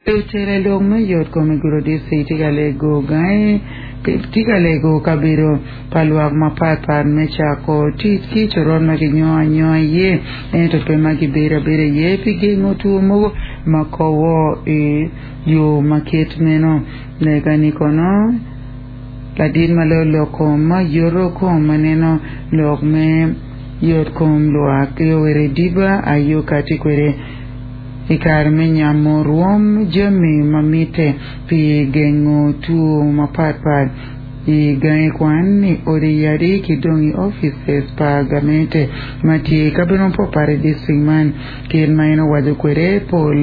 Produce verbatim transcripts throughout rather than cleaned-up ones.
Lutela lok me yot kom i Gulu District tye ka lego gangi tye ka lego kabedo pa lwak mapatpat me cako tic ki coron ma kinyongo anyonga iye ento pe ma gibedo abeda iye pi gengo two mogo ma kobo i yo ma kit meno lega-ni kono ladit ma loyo lok kom ma yoto kom ma neno lok me yot kom lwak Yoweri Diba ayo kati kwede i kare me nyamo rwom jami ma mitte pi gengo two mapatpat i gangi kwan i odi yadi ki dong i offices pa gamente ma tye i kabedo mapatpat i district man kit ma en owaco kwede pol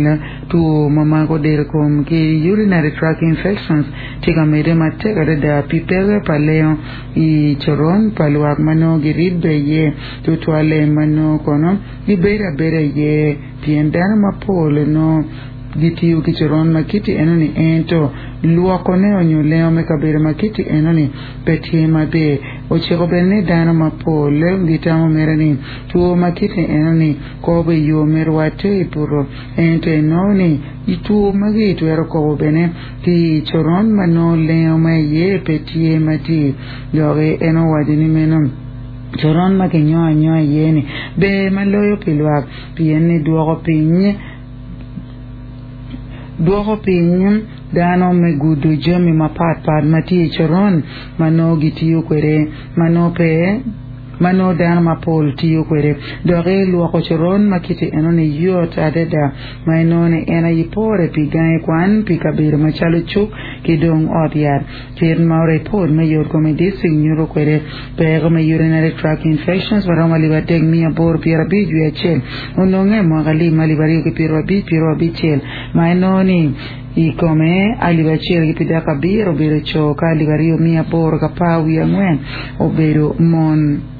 two ma mako del kom ki urinary tract infections tye ka medde matek adada pi peke pa lengo i coron pa lwak ma nongo giribbe iye tutwalle ma nongo kono gibedo abeda iye pien dano mapol nongo gitiyo ki coron ma kiti enoni ento lwokone onyo lengo me kabedo ma kiti enoni pe tye maber ociko bene ni dano mapol gitamo mere ni two ma kiti enoni kobo i yo me rwatte i buto ento inongo ni two magi twero kobo bene ki i coron ma nongo lengo ma iye pe tye matir dok en owaco ni meno coron ma kinyongo anyonga iye ni ber ma loyo pi lwak pien ni dwoko piny dwoko piny dano me gudo jami mapatpat ma tye i coron ma nongo gitiyo kwede ma nongo pe ma nongo dano mapol tiyo kwede dok lwoko coron ma kiti enoni yot adada ma inongo ni en aye pore pi gangi kwan pi kabedo macalo cuk ki dong ot yat kit ma report me yot kom i district nyuto kwede peko me urinary tract infections maromo alip adek miya aboro pyero abic wiye acel ononge mwaka alip ma alip aryo ki pyero abic pyero abicel ma inongo ni i kome alip acel ki pidek abiro obedo co ka alip aryo miya aboro ki apar wiye angwen obedo mon.